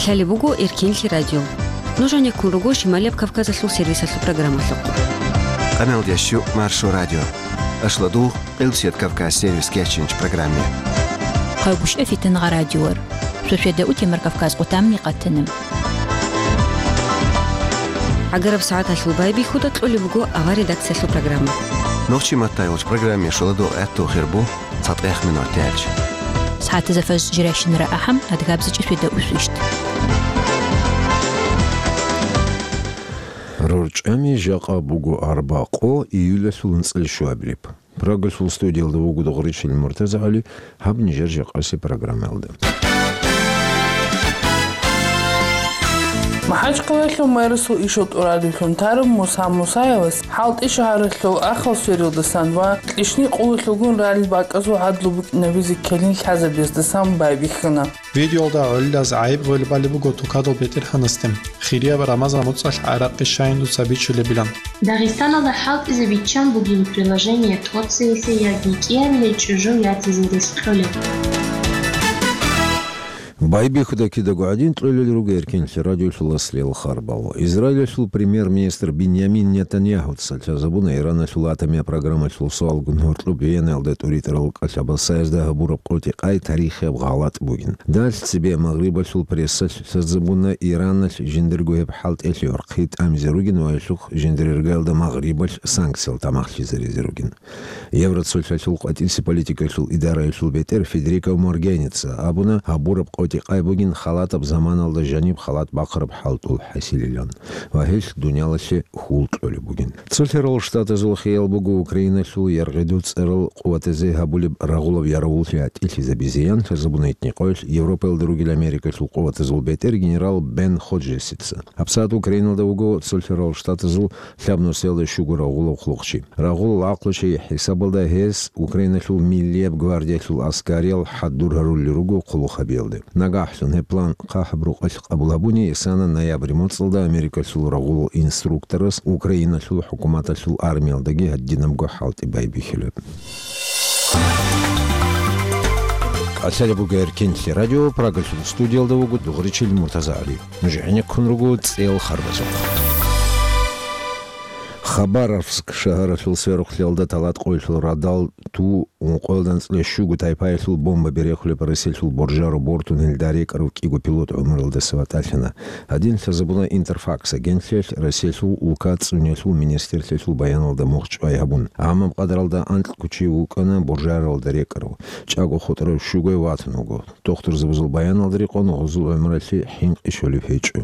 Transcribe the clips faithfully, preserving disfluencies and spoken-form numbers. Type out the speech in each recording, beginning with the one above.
Лъалеб буго Эркенлъи радио. Нуж гьанеккун руго Шималияб Кавказалъул сервисалъул программалъухъ. Къамел ящу Маршо радио. Ашладу Къилсият Кавказ сервис кечинч программе. Къагуш эфитан гъа радиор. Сосведа утемар Кавказ къутамни къатана. ГӀагараб сагӀаталъул байбихьуда кьолеб буго авар редакциялъул программа. Нохчи маттайолч программе шуладу гӀатту хирбу цатӀех минут тяч. СагӀатазафаз жиращинара ахӀам адгабзичӀи светда усвищт. РорчӀами жакъа буго арба къо июлалъул нцӀил щуабилеб. Прагалъул студиялда вуго Догъричил МуртазагӀали, гьаб нижер жакъаси программаялда. МахӀачкъалалъул мэрасул ишал тӀурадулъун тараб Муса Мусаевас ХӀалтӀи шагьаралъул Ахал сверилдасан ва кьишни къулалъулгун ралел бакӀазул гӀадлу букӀинабизе ккелин лъазабездасан байбихьана. Видеолда гӀолилаз гӀайиб гъвелбали буго тукадул бетӀергьанасде, хирияб Рамазан муцӀалъ гӀаракъи щайин дуца бичулебилан. Дагъистаналда хӀалтӀизе биччан бугин приложение тӀоцеялъе яги кӀиябилей чӀужу ятизе рес кьолеб. Байбихьуда кидаго гӀадин кьолел руго Эркенлъи радиолъул аслиял харбал. Израилалъул премьер-министр Биньямин Нетаньяхуца лъазабуна Ираналъул атомияб программалъул суалгун гьоркьоб Венаялда тӀуритӀарал кӀалъабасаязда гьабураб къотӀи-къай тарихияб гъалатӀ бугин. Далъ цебе Магърибалъул прессалъ лъазабуна Ираналъ жиндирго гьеб хӀалтӀелъи гӀорхъи тӀамизе ругин ва гьелъухъ жиндир иргаялда Магърибалъ санкциял тамахлъизаризе ругин. Евроцолъалъул къватӀисе политикалъул идараялъул бетӀер Федерико Могеринийица абуна, гьабураб къотӀи-къай бугин халатаб заманалда жаниб халат бахъараб хӀалтӀул хӀасилилан ва гьелъ дуниялалъе хьул кьолеб бугин. Цолъарал Штатазул хиял буго Украиналъул яргъидуцӀарал къуватазе гьабулеб рагъулаб ярагъуллъи гӀатӀилъизабизеян, лъазабуна гьитӀинаб къоялъ Европаялда ругел Америкалъул къуватазул бетӀер генерал Бен Ходжесица. ГьабсагӀат Украиналда вуго Цолъарал Штатазул лъабнусиялда щуго рагъулав хъулухъчи. Рагъулал гӀакълу чей хӀисабалда гьес Украиналъул миллияб гвардиялъул аскариял хӀадур гьарулел руго хъулухъ гьабиялде. Нагагьлъун гьеб план хъахӀаб рукъалъ къабул гьабуни, исана ноябрь моцӀалда Америкалъул рагъулал инструкторас Украиналъул хӀукуматалъул армиялдаги гьадинабго хӀалтӀи байбихьулеб. КӀалъалеб буго Эркенлъи радио, Прагалъул студиялда вуго Догъричил МуртазагӀали. Нуж гӀенеккун руго цӀел харбазухъ. Хабаровск шагьаралъул сверухълъиялда талат къоялъул радал ту ункъоялда анцӀила щуго тайпаялъул бомба берехулеб Россиялъул Буржаро бортун гьелда рекӀарав кӀиго пилот гӀумруялдаса ватӀалъана. Гьадин лъазабуна Интерфакс агентлъиялъ Россиялъул улка цӀуниялъул министрлъиялъул баяналда мухъ чӀвай гьабун. Гьамаб къадралда анкьго чи вукӀана Буржаралда рекӀарав, чӀаго хутӀарав щугояв ватун вуго. Дохтурзабазул баяналда рекъон гъузул гӀумралъе хӀинкъи щолеб гьечӀо.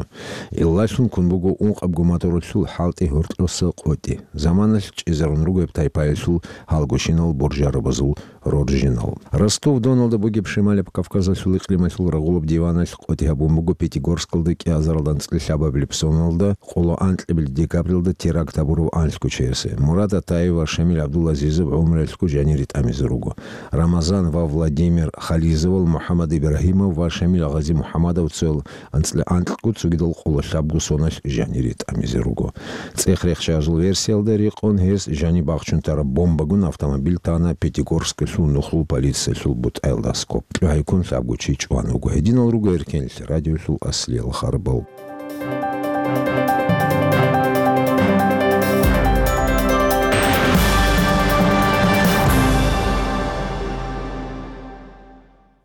Гьелдалъун ккун буго ункъабго моторалъул хӀалтӀи гьоркьоса къотӀи. Заманалъ чӀезарун руго гьеб тайпаялъул гьалгощинал буржарабазул роржинал. Ростов-Доналда бугеб Шималаб Кавказалъул икълималъул рагъулаб диваналъ къотӀи гьабун буго Пятигорскалда кӀиазаралда анцӀила лъабабилеб соналда къоло анкьабилеб декабралда теракт гьабурав анлъго чиясе. Мурад Атаев ва Шамил ГӀабдулазизов гӀумруялъго жанире тӀамизе руго. Рамазан ва Владимир Хализовал МухӀаммад Ибрагьимов ва Шамил Гъази-МухӀаммадовцал анцӀила анкьго цогидал къоло лъабго соналъ жанире тӀамизе руго. ЦӀех рехчазул версиялда рекъон гьес жаниб бахчун тараб бомбагун автомобиль тана Пятигорскалъул нухлул полициялъул бутӀаялда аскӀоб. КьогӀайккун лъабго чи чӀван вуго. Гьединал руго Эркенлъи радиолъул аслиял харбал.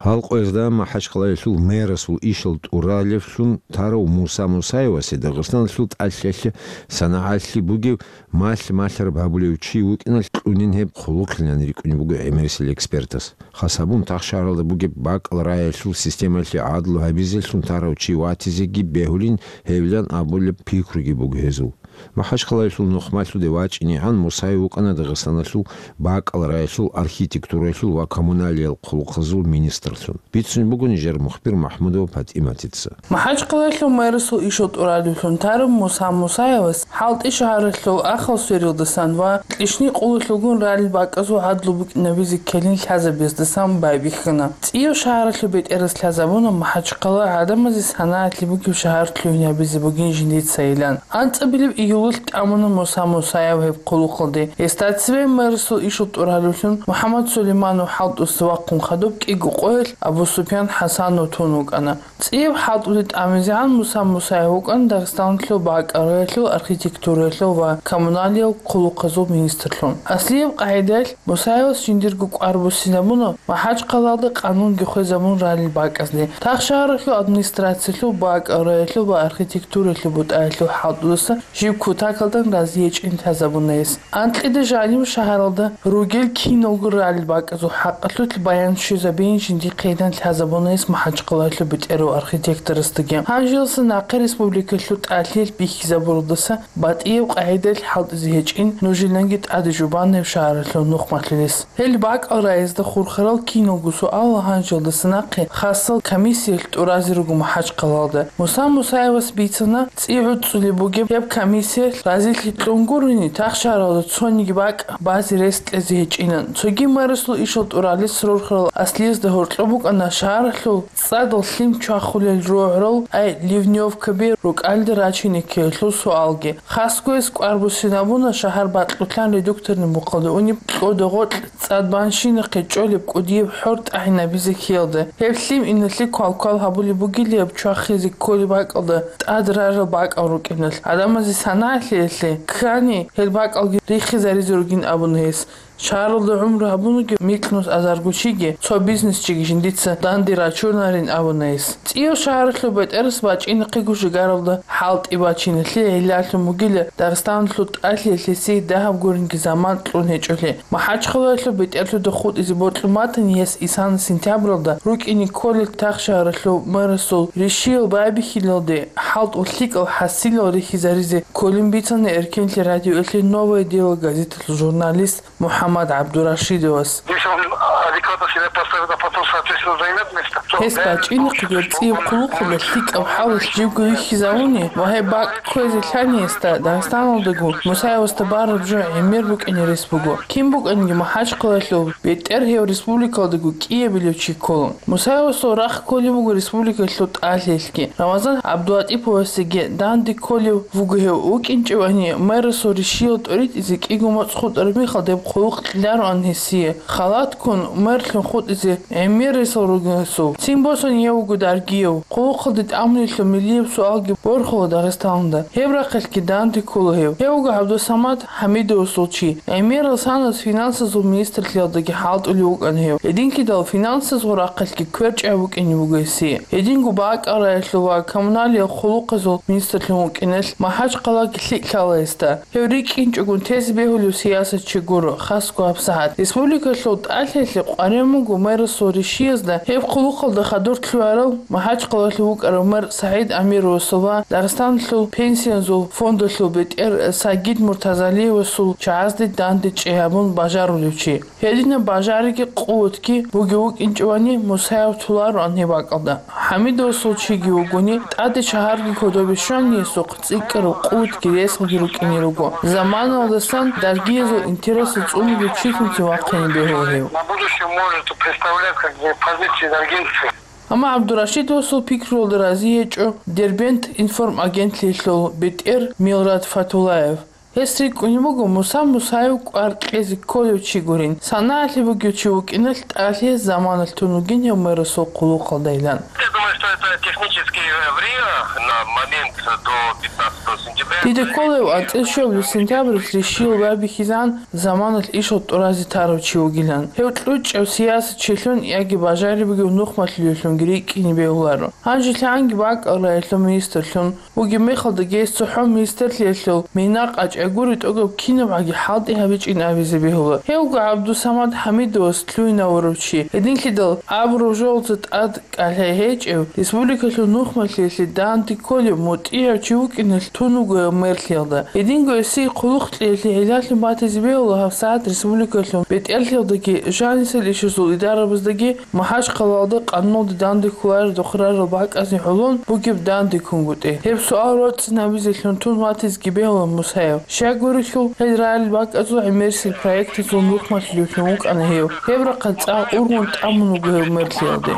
Гьал къоязда МахӀачхъалаялъул мэрасул ишал тӀуралевлъун тарав Муса Мусаевасе Дагъистаналъул тӀалъиялъе санагӀалъи бугев малъ-малъараб гьабулев чи вукӀиналъ кьунин гьеб хъулухълъилан рикӀкӀунеб буго гӀемерисел экспертас. Хас гьабун, тахшагьаралда бугеб бакӀал раялъул системалъе гӀадлу гьабизеллъун тарав чи ватизеги бегьулин гьевилан абулеб пикруги буго гьезул. МахӀачхъалаялъул нухмалъуде вачӀинегӀан Мусаев вукӀана Дагъистаналъул бакӀал раялъул архитектуралъул ва коммуналиял хъулухъазул министрлъун. Бицун буго нижер мухбир МахӀмудова ПатӀиматица. МахӀачхъалаялъул мэрасул ишал тӀурадулъун тараб Муса Мусаевас ХӀалтӀи шагьаралъул Ахал сверилдасан ва кьишни къулалъулгун ралел бакӀазул гӀадлу букӀинабизе ккелин лъазабездасан байбихьана. ЦӀияв шагьаралъул бетӀерас лъазабуна МахӀачхъала гӀадамазе санагӀалъи бугеб шагьар лъугьинабизе бугин жиндицайилан. АнцӀабилеб июлалъ тӀамуна Муса Мусаев гьеб хъулухъалде. Гьесда цебе мэрасул ишал тӀурадулъун МухӀаммад Сулейманов хӀалтӀуса вахъун хадуб кӀиго къоя Абусупиян ХӀасанов тун вукӀана. ЦӀияб хӀалтӀулде тӀамизегӀан Муса Мусаев вукӀана Дагъистаналъул бакӀалдаялъул, архитектураялъул ва коммуналиял хъулухъазул министрлъун. Аслияб къагӀидаялъ Мусаевас жиндирго кӀвар буссинабуна МахӀачхъалаялда къанунги хвезабун ралел бакӀазде. Тахшагьаралъул администрациялъул бакӀалдаялъул ва архитектураялъул бутӀаялъул хӀалтӀудаса жиб кутакалдан разиячӀин лъазабуна гьес. Анкьида жанив шагьаралда ругел киналго ралел бакӀазул хӀакъалъулъ баян щвезабейин жиндихъейилан лъазабуна гьес МахӀачхъалаялъул бетӀерав архитекторасдаги. Гьанжелалъа нахъе республикалъул тӀалъиялъ бихьизабуралдаса батӀияб къагӀидаялъ хӀалтӀизе гьечӀин нужееги тӀаде жубана гьеб шагьаралъул нухмалъулес. Гьел бакӀалдаязда хурхарал киналго суал гьанжелалдаса нахъе хасал комиссиялъ тӀуразе руго МахӀачхъалаялда. Муса Мусаевас бицана, цӀи гӀуцӀцӀулеб бугеб гьеб комиссиялъ разилъи кьун гурони, Тахшагьаралда цониги бакӀ базе рес кьезе гьечӀинан. Цоги мэрасул ишал тӀуралес рорхарал аслиязда гьоркьоб букӀана шагьаралъул цӀадал лъим чвахулел рогӀрал, ай, ливнёвкаби рукӀалде рачине ккеялъул суалги. Хасго гьес кӀвар буссинабуна шагьар бакьулъан редукторный мухъалде унеб кьода гъоркь цӀад банщинахъе чӀолеб кӀудияб хӀор тӀагӀинабизе ккеялда. Гьеб лъим иналъе квалквал гьабулеб бугилияб чвахизе кколеб бакӀалда тӀад рарал бакӀал рукӀиналъ, гӀадамазе санагӀлъиялъе ккани, гьел бакӀалги рихизаризе ругин абуна гьес. Шагьаралда гӀумру гьабунаги микьнус азарго чиги, цо бизнесчиги жиндица данде рачунарин абуна гьес. ЦӀияв шагьаралъул бетӀерас бачӀинахъего жигаралда хӀалтӀи бачиналъе гӀиллалъун бугила Дагъистаналъул тӀалъиялъ гьесие дагьаб гуринги заман кьун гьечӀолъи. МахӀачхъалаялъул бетӀерлъуда хутӀизе бокьун батани, гьес исана сентябралда рукӀине кколел Тахшагьаралъул мэрасул ришиял байбихьилалде хӀалтӀул лъикӀал хӀасилал рихизаризе кколин бицана Эркенлъи радиоялъе «Новое дело» газеталъул журналист МухӀаммад ГӀабдурашидовас. Если он адекватно себя поставит, а потом, соответственно, займет место, то... Гьес бачӀинахъего цӀияб хъулухъалда лъикӀаб хӀалалъ живго вихьизавуни ва гьеб бакӀ кквезе лъани гьесда, Дагъистаналдаго Мусаевасда бараб жо гӀемер букӀине рес буго. Кин букӀанги МахӀачхъалаялъул бетӀер гьев республикалдаго кӀиабилев чи ккола. Мусаевасул рахъ кколеб буго республикалъул тӀалъиялъги. Рамазан ГӀабдулатӀиповасдаги данде кколев вуго гьев. ВукӀинчӀевани, мэрасул ришиял тӀоритӀизе кӀиго моцӀ хутӀараб мехалда гьеб хъулухъ кьелароан гьесие. Халатккун мэрлъун хутӀизе гӀемер ресал ругин гьесул. Цин босани гьев вуго даргияв. Хъулухъалде тӀамулелъул миллияб суалги борхула Дагъистаналда. Гьеб рахъалъги данде ккола гьев. Гьев вуго ГӀабдусамад ХӀамидовасул чи. ГӀемерал санас финансазул министрлъиялдаги хӀалтӀулев вукӀана гьев. Гьединлъидал финансазул рахъалъги кверчӀай букӀине буго гьесие. Гьединго бакӀалдаялъул ва коммуналиял хъулухъазул министрлъун вукӀиналъ МахӀачхъалаги лъикӀ лъала гьесда. Гьев рикӀкӀинчӀогун тезе бегьулев сиясатчи гуро, хасго гьабсагӀат. Республикалъул тӀалъиялъе къваригӀун буго мэрасул ришиязда гьеб хъулухъалда хадур лъугӀарал МахӀачхъалалъув вукӀарав мэр СагӀид Амировасул ва Дагъистаналъул пенсиязул фондалъул бетӀер Сагид Муртазалиевасул чагӀазде данде чӀей гьабун бажарулев чи. Гьединаб бажариги къуватги бугев вукӀинчӀевани, Мусаев толароан гьеб бакӀалда. ХӀамидовасул чиги вугони, тӀаде шагьарги кодобе щваниясухъ цӀикӀкӀараб къуватги ресалги рукӀине руго. Заманалдасан даргиязул интересал цӀунулев чилъунцин вахъине бегьула гьев. На будущее может представлять как бы позиции даргинцы. Амма ГӀабдурашидовасул пикруялда рази гьечӀо Дербент информагентлъиялъул бетӀер Милрат Фатулаев. Гьес рикӀкӀунеб буго Муса Мусаев кӀвар кьезе кколев чи гурин, санагӀалъи бугев чи вукӀиналъ тӀалъиялъ заманалъ тун вугин гьев мэрасул хъулухъалдайилан. Я думаю, что это техническое время на момент до пятнадцатого сентября. Дида ккола гьев анцӀила щуабилеб сентябралъ ришиял байбихьизегӀан заманалъ ишал тӀуразе тарав чи вугилан. Гьев кьучӀав сиясатчилъун яги бажариб бугев нухмалъулевлъунги рикӀкӀине бегьуларо. Гьанже лъагӀанги бакӀалдаялъул министрлъун вугеб мехалдаги гьес цохӀо министрлъиялъул мина къачӀай гури тӀогаб кинабгӀаги хӀалтӀи гьабичӀин абизе бегьула. Гьев вуго ГӀабдусамад ХӀамидовас лъугьинавурав чи. Гьединлъидал абураб жоялда тӀад кӀалъай гьечӀев, республикалъул нухмалъиялъе данде кколев мутӀигӀав чи вукӀиналъ тун вуго гьев мэрлъиялда. Гьединго гьесие хъулухъ кьеялъе гӀиллалъун батизе бегьула гьабсагӀат республикалъул бетӀерлъиялдаги жанисел ишазул идарабаздаги МахӀачхъалалда къануналде данде кколарел рохел рарал бакӀазде гӀолон бугеб дандеккунгутӀи. Гьеб суал роцӀцӀинабизелъун тун ватизеги бегьула Мусаев. Щай гурелъул, гьел рарал бакӀазул гӀемерисел проектазул нухмалъулевлъун вукӀана гьев. Гьеб рахъалъ цӀакъ ургъун тӀамун вуго гьев мэрлъиялде.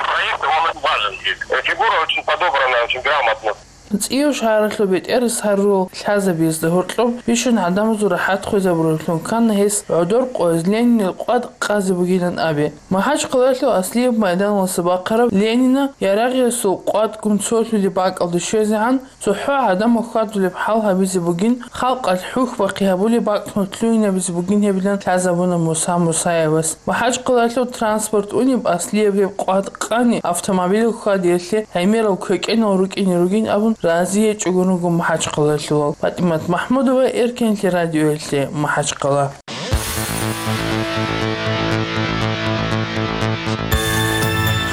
Проект, он важен здесь. Фигура очень подобрана, очень грамотно. ЦӀийов шагьаралъул бетӀерас гьарурал лъазабиязда гьоркьоб бищун гӀадамазул рахӀат хвезабуралъун ккана гьес гӀодор къояз Ленинил къват къазе бугилан абе. МахӀачхъалаялъул Аслияб майданалдаса бахъараб Ленина ярагъиясул къватӀгун цолъулеб бакӀалде щвезегӀан, цохӀо гӀадамал хьвадулеб хӀал гьабизе бугин, халкъалъ хӀухь-бахъи гьабулеб бакӀ нутлуйинабизе бугин гьебилан лъазабуна Муса Мусаевас. МахӀачхъалаялъул транспорт унеб Аслияб гьеб къват къани автомобиль хьвадиялъе гӀемерал квекӀенал рукӀине ругин абун разиячӀого руго махӀачхъалаялъулал. ПатӀимат МахӀмудова, Эркенлъи радиоялъе, МахӀачхъала.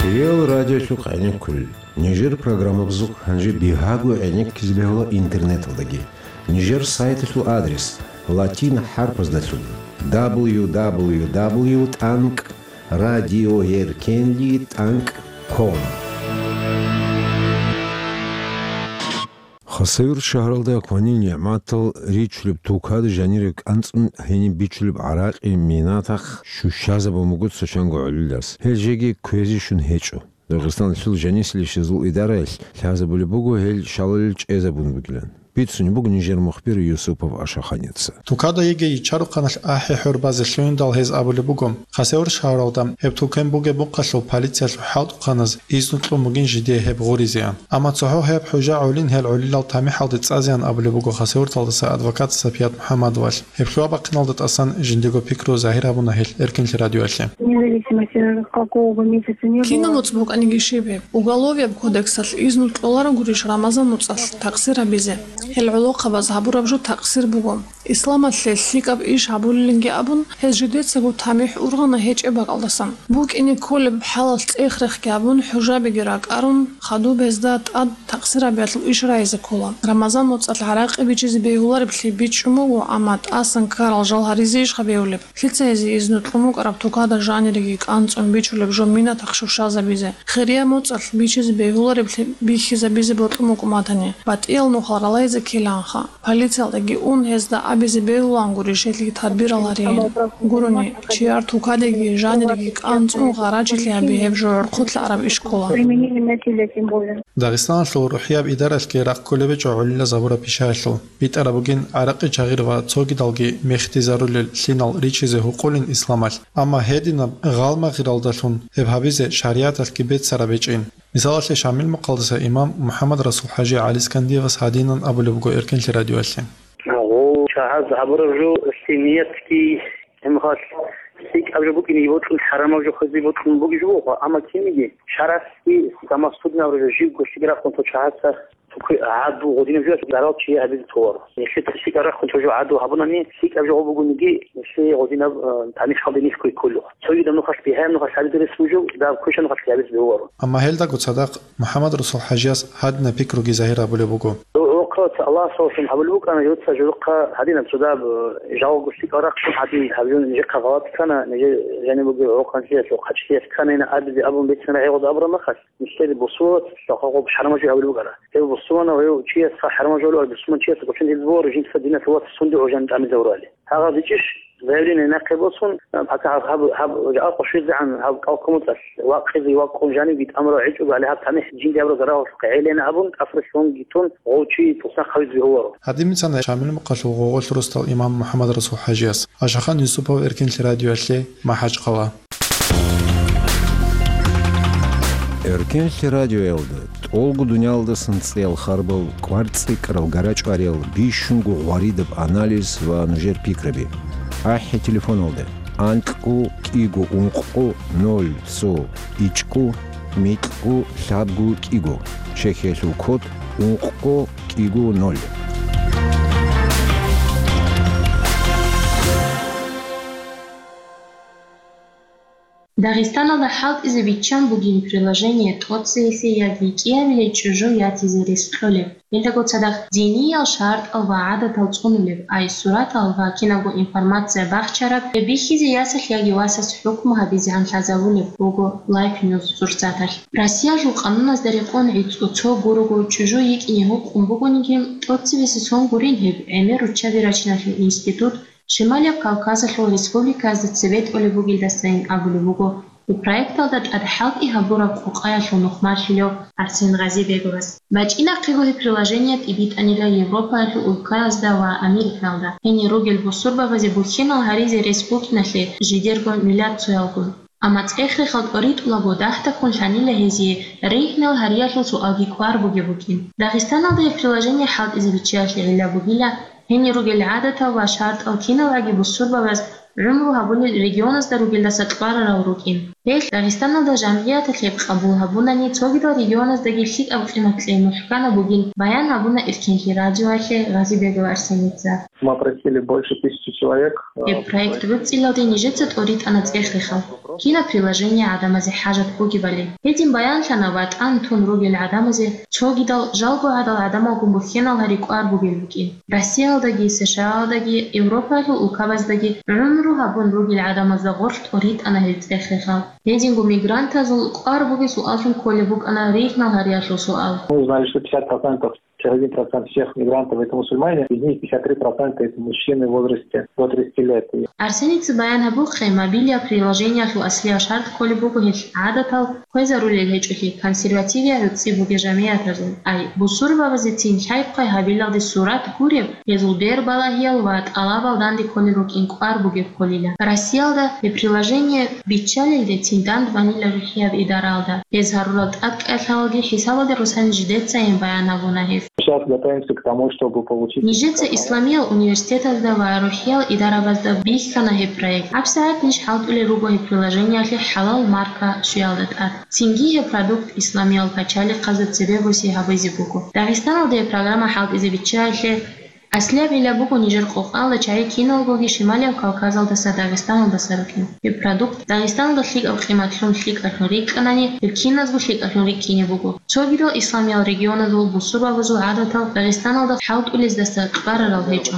Хириял радиолъухъ гӀенеккулел. Нижер программабазухъ гьанже бигьаго гӀенеккизе бегьула интернеталдаги. Нижер сайталъул адрес: латин хӀарпаздалъун: дабл ю дабл ю дабл ю тӀанкӀ радиоэркенлъи тӀанкӀ ком. Хасавюрт шагьаралда кванил нигӀматал ричулеб тукада жанире кӀанцӀун гьениб бичулеб гӀаракъи минатахъ щущазабун буго цо чанго гӀолилас. Гьел жеги кквезе щун гьечӀо. Дагъистаналъул жанисилищазул идараялъ лъазабулеб буго гьел шалалил чӀезабун бугилан. Бицунеб буго нижер мухбир Юсупов Ашаханица. Тукада йиги ичарухъаналъ ахӀи-хӀур базе лъугьиндал гьез абулеб буго, Хасавюрт шагьаралда гьеб тукан бугеб мухъалъув полициялъул хӀалтӀухъаназ изну кьун бугин жидее гьеб гъуризеян. Амма цохӀо гьеб хӀужа гӀолин гьел гӀолилал тамихӀалде цӀазеян абулеб буго Хасавюрталдаса адвокат Сапият МухӀаммадовалъ. Гьеб лъугьа-бахъиналда тӀасан жиндиего пикру загьир гьабуна гьел Эркенлъи радиоялъе. Независимо от какого бы месяца не было. Кинаб моцӀ букӀаниги щиб гьеб? Уголовияб кодексалъ изну кьоларогурищ Рамазан моцӀалъ такъсир гьабизе? Гьел гӀолохъабаз гьабураб жо такъсир буго. Исламалъе лъикӀаб иш гьабулилинги абун, гьез жидецаго тамихӀ ургъана гьечӀеб бакӀалдасан. БукӀине кколеб хӀалалъ цӀех-рехги гьабун, хӀужабиги ракӀарун, хадуб гьезда тӀад такъсирабиялъул иш рагӀизе ккола. Рамазан моцӀалъ гӀаракъи бичизе бегьулареблъи бичӀчӀун буго, амма тӀасан ккарал жал гьаризе ищха бегьулеб? Лъица гьезие изну кьун букӀараб тукада жаниреги кӀанцӀун бичулеб жо минатахъ щущазабизе? Хирияб моцӀалъ бичизе бегьулареблъи бихьизабизе бокьун букӀун батани, батӀиял нухал ралайзе ккелаанха. Полициялдаги ун, гьезда абизе бегьулаан гурищ гьелъие тадбирал гьариин. Гурони, чияр тукадеги жаниреги кӀанцӀун гъарачилъи гьаби гьеб жо гӀурхъулъа араб иш ккола. Применение насилия тем более. Дагъистаналъул рухӀияб идаралъги рахъ кколеб гьечӀо гӀолилаз гьабураб пишаялъул. БитӀараб бугин гӀаракъи чагъир ва цогидалги мехтизарулел лъимал ричизе гьукъулин исламалъ. Амма гьединаб гъалмагъралдалъун гьеб гьабизе шаригӀаталъги беццараб гьечӀин. Мисалалъе, Шамил мухъалдаса имам МухӀаммад-Расул-хӀажи ГӀалискандиевас гьадинан абулеб буго Эркенлъи радиоялъе. Гьав чагьаз гьабураб жо лъимал ниятги гьебмехалъ лъикӀаб жо букӀине бокьун, хӀарамаб жо хвезе бокьун бугеб жо буго, амма кинниги шаргӀалъги самосудный абураб жо, живго лъикӀ рахъун цо чагьаца цо кве-, гӀадлу гъодинаб жо зарал чияе гьабизе тола. Нилъеца лъикӀаб рахъун цо жо гӀадлу гьабунани, лъикӀаб жо гьабугониги, нилъее гъодинаб, э, тамихӀалде нилъго кколев. Цогидаб нухалъ бигьаяб нухалъ гьабизе рес бугев, дагьаб квешаб нухалъ гьабизе бегьуларо. Амма гьелдаго цадахъ МухӀаммад-Расул-хӀажияс гьадинаб пикруги загьир гьабулеб буго. Гьоркьоца Аллагьасдалъун гьабулеб букӀана, гьоца жодохъа гьадинаб цо дагьаб, э, жалго лъикӀал рахъун гьадин гьабизун нижехъа гъалатӀ ккана, нижер жаниб бугеб гӀоркьанлъиялъул хъачӀлъиялъ кканайна абизе абун бицана гӀегъуд абураб махалъ. Нилъер бусурбабаз хӀакъаб хӀарамаб жо гьабулеб букӀара. Гьев бусурманав, гьев чиясха хӀарамаб жо гьабулев, бусурман чиясда гъочон гьез бугеб жинца динас вац сунде гӀужан тӀамизе гьорали. Гьагъаб бичӀчӀищ, заявление нахъе босун, гьаб, гьаб, гьаб, гьаб жакъа къо щвезегӀан гьаб кӀал кумуцӀалъ вакъизе вакъун жанибги тӀамурав гӀечӀого гьале гьаб тамихӀ жинди гьабураб зарагъалъухъе гӀелейин абун, тӀасрулъунги тун, гъов чи туснахъ гьавизе бегьуларо. Гьадин бицана Шамил мухъалъул гъогъолъ росдал имам МухӀаммад-Расул-хӀажияс. Ашахан Юсупов, Эркенлъи радиоялъе, МахӀачхъала. Эркенлъи радиоялда тӀолго дуниялдасан цӀеял харбал, кӀвар цӀикӀкӀарал гарачӀвариял, бищунго гъваридаб анализ ва нужер пикраби. АхӀи телефоналда: анкьго кӀиго ункъго ноль цо ичӀго микьго лъабго кӀиго, Чехиялъул код ункъго кӀиго ноль. Дагъистаналда хӀалтӀизе биччан бугин приложение тӀоцевесей яги кӀиабилей чӀужу ятизе рес кьолеб. Гьелдаго цадахъ диниял шартӀал ва гӀадатал цӀунулеб, ай суратал ва кинабго информация бахчараб, гьеб бихьизе ясалъ яги васас хӀукму гьабизегӀан лъазабулеб буго Life News сурсаталъ. Россиялъул къануназда рекъон гӀицӀго цо гурого чӀужу йикӀине гьукъун бугониги, тӀоцевеси сон гурин гьеб гӀемер руччаби рачиналъул институт, Шималияб Кавказалъул республиказда цебетӀолеб бугелдасайин абулеб буго Гьеб проекталда тӀад хӀалтӀи гьабураб къокъаялъул нухмалъулев Арсен Гъазибеговас. БачӀинахъего гьеб приложение тӀибитӀанила Европаялъул улкаязда ва Америкаялда. Гьенир ругел бусурбабазе бухьенал гьаризе рес букӀиналъе жидерго миллатцоялгун. Амма цӀех-рехал тӀоритӀулаго дагьдаккун лъанила гьезие ригьнал гьариялъул суалги кӀвар бугеб букӀин. Дагъистаналда гьеб приложение хӀалтӀизе биччаялъе гӀилла бугила, гьенир ругел гӀадатал ва шартӀал киналгӀаги бусурбабаз гӀумру гьабулел регионазда ругелдаса кьварарал рукӀин. Гьелъ Дагъистаналда жамгӀияталъ гьеб къабул гьабунани, цогидал регионаздаги лъикӀаб къимат кьей мухӀкана бугин, баян гьабуна Эркенлъи радиоялъе Гъазибегов Арсеница. Мы опросили больше тысячи человек, э, Гьеб проект гӀуцӀилалде нижеца тӀоритӀана цӀех-рехал, кинаб приложение гӀадамазе хӀажат бугебали. Гьедин баянлъана ВатӀан тун ругел гӀадамазе цогидал жалго гӀадал гӀадамалгун бухьенал гьари кӀвар бугел букӀин. Россиялдаги, СШАалдаги, Европаялъул улкабаздаги гӀумру гьабун ругел гӀадамазда гъорлъ тӀоритӀана гьел цӀех-рехал. Гьединго мигрантазул кӀвар бугеб суаллъун кколеб букӀана ригьнал гьариялъул суал. Мы узнали, что пятьдесят процентов, пятьдесят один процент всех мигрантов — это мусульмане, из них пятьдесят три процента — это мужчины в возрасте до тридцати лет. Арсеница баян гьабухъе, мобилияб приложениялъул аслияб шартӀ кколеб буго гьелъ гӀадатал хвезарулел гьечӀолъи, консервативияб гӀуцӀи бугел жамгӀиятазул, ай, бусурбабазецин лъай-хъвай гьабилалде сурат гуреб, гьезул бербалагьиял ва тӀалабал данде кколел рукӀин кӀвар бугеб кколила. Россиялда гьеб приложение биччалелдецин дандбанила рухӀияб идараялда. Гьез гьарурал тӀадкӀалъалги хӀисабалде росани жидецайин баян гьабуна гьеб. Сейчас готовимся к тому, чтобы получить Нижеца исламиял университетазда ва рухӀиял идарабазда бихьана гьеб проект. ГьабсагӀат ниж хӀалтӀулел руго гьеб приложениялъе хӀалал марка щвеялда тӀад. Цинги гьеб продукт исламиял пачалихъазда цебе буси гьабизе буго. Дагъистаналда гьеб программа хӀалтӀизе биччаялъе аслияб гӀилла буго нижер къокъалда чагӀи киналгоги Шималияб Кавказалдаса Дагъистаналдаса рукӀин. Гьеб продукт Дагъистаналда лъикӀаб къиматлъун лъикӀалъун рикӀкӀанани, гьеб киназго лъикӀалъун рикӀкӀине буго. Цогидал исламиял регионазул бусурбабазул гӀадатал Дагъистаналда хӀалтӀулездаса кьварарал гьечӀо.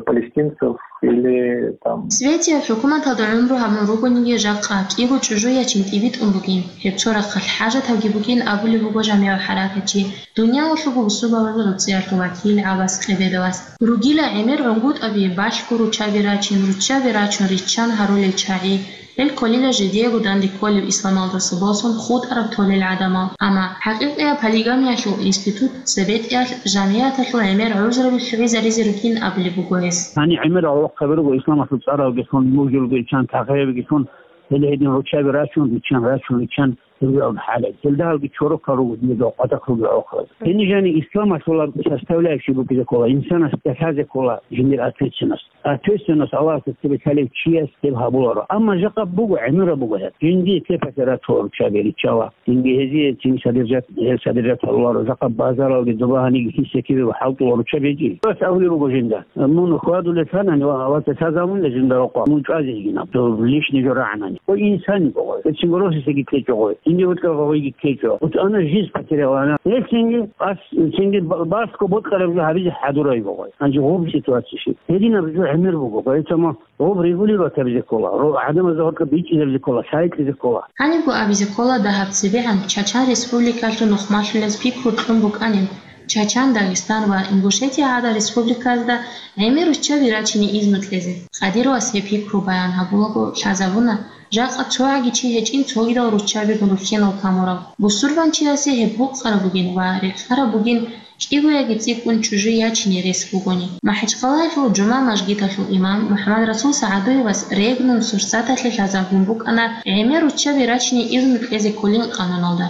Палестинцев или там. Светияб хӀукуматалда гӀумру гьабун ругониги, жакъа кӀиго чӀужу ячин тӀибитӀун бугин, гьеб цо рахъалъ хӀажатабги бугин абулеб буго жамигӀ хӀаракатчи, дуниялалъулго бусурбабазул гӀуцӀиялъул вакил ГӀаббас Къебедовас. Ругила гӀемер гӀунгутӀаби, балъго руччаби рачин, руччаби рачун риччан гьарулел чагӀи, гьел кколила жидеего данде кколеб исламалдаса босун хутӀараб толел гӀадамал. Амма хӀакъикъияб полигамиялъул институт цебетӀиялъ жамигӀаталъул гӀемер гӀузраби лъугӀизаризе ругин абулеб буго гьес. Гьаниб гӀемер гӀолохъаби руго исламалъул цӀаралгилъун, мужулгилъун, тахъаябгилъун, гьел гьедин руччаби рачун, риччан, рачун, риччан. Гьеб хӀалеб. Гьелда гьалги чорокал руго, дида къватахъ руго гӀолохъабаз. Гьениб жаниб исламалъулаб составляющий букӀизе ккола, инсанас тӀалъазе ккола жиндир ответственность. Ответственность Аллагьасда цебе лъалев чияс гьеб гьабуларо. Амма жакъа буго, гӀемераб буго гьеб. Жинди цепасе рачула руччаби риччала. Жинди гьезие цин содержать, гьел содержать гьаруларо. Жакъа базаралги доба гьаниги хисекибе хӀалтӀула руччаби гьечӀи. Вас абулеб буго жинда. Мун хьвадулел лъанани ва, ва цецазабунила жинда рокъо, мун чӀвазе йигинаб, дов лишний жо рагӀанани. Ва инсани буго гъой. Эцин гороси сеги ккечӀо гъой. Инде вуткӀа гъойги ккечӀо. Вот она жизнь потеряла, она. Эцинги, ас, эцинги ба-, баско боткараб жо гьабизе хӀадурай буго гъой. Гьанже гъоб ситуация щиб. Гьединаб жо гӀемер буго, поэтому гъоб регулировать гьабизе ккола. Ро-, гӀадамазда гьоркьоб бичӀчӀизабизе ккола, лъайкьизе ккола. Гьанибго абизе ккола дагьаб цебегӀан Чачан Республикалъул нухмалъулез пикру кьун букӀанин. Чачан, Дагъистан ва Ингушетия гӀадан республиказда гӀемер руччаби рачине изну кьезе. Къадировас гьеб пикру баян гьабулаго лъазабуна, жакъа цогӀаги чи гьечӀин цогидал руччабигун рухьенал камурав. Бусурбанчиясе гьеб букъараб бугин ва рекъараб бугин кӀиго яги цӀикӀкӀун чӀужу ячине рес бугони. МахӀачхъалаялъул жума мажгиталъул имам МухӀаммадрасул СагӀадуевас регнун сурсаталъе лъазабун букӀана гӀемер руччаби рачине изну кьезе кколин къануналда.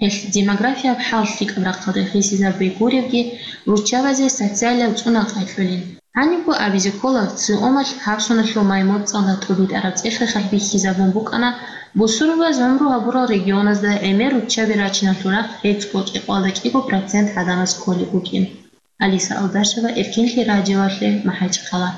Гьелъ демографияб хӀал лъикӀаб рахъалде хисизабуй гуревги, руччабазе социалияб цӀунал къайкьулин. Гьанибго абизе ккола, ЦИОМалъ гьабсуналъул май моцӀалда тӀубитӀараб цӀех-рехалъ бихьизабун букӀана, бусурбабаз гӀумру гьабурал регионазда гӀемер руччаби рачиналъул рахъ гьецӀго кӀикъоялда кӀиго процент гӀадамаз кколеб букӀин. Алиса Алдашева, Эркинлъи радиоялъе, МахӀачхъала.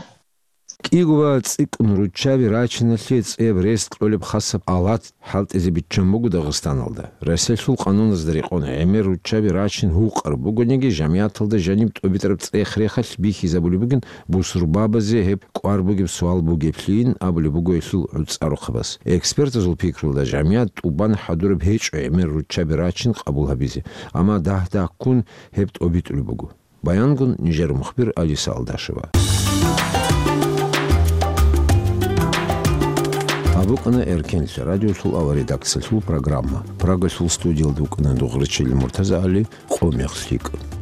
КӀиго ва цӀикӀкӀун руччаби рачиналъе цӀеб рес кьолеб хасаб алат хӀалтӀизе биччан буго Дагъистаналда. Россиялъул къануназда рекъон гӀемер руччаби рачин гьукъар бугониги, жамигӀаталда жаниб тӀубитӀараб цӀех-рехалъ бихьизабулеб бугин бусурбабазе гьеб кӀвар бугеб суал бугеблъийин абулеб буго гьелъул гӀуцӀарухъабаз. Экспертазул пикрулда, жамигӀат тӀубан хӀадураб гьечӀо гӀемер руччаби рачин къабул гьабизе, амма дагь-дагьккун гьеб тӀобитӀулеб буго. Баянгун нижер мухбир Алиса Алдашева. БукӀана Эркенлъи радиосул авария редакциялъул программа. Прагалъул студиялда вукӀана Дугърачил МуртазагӀали, «Къо мех лъикӀ».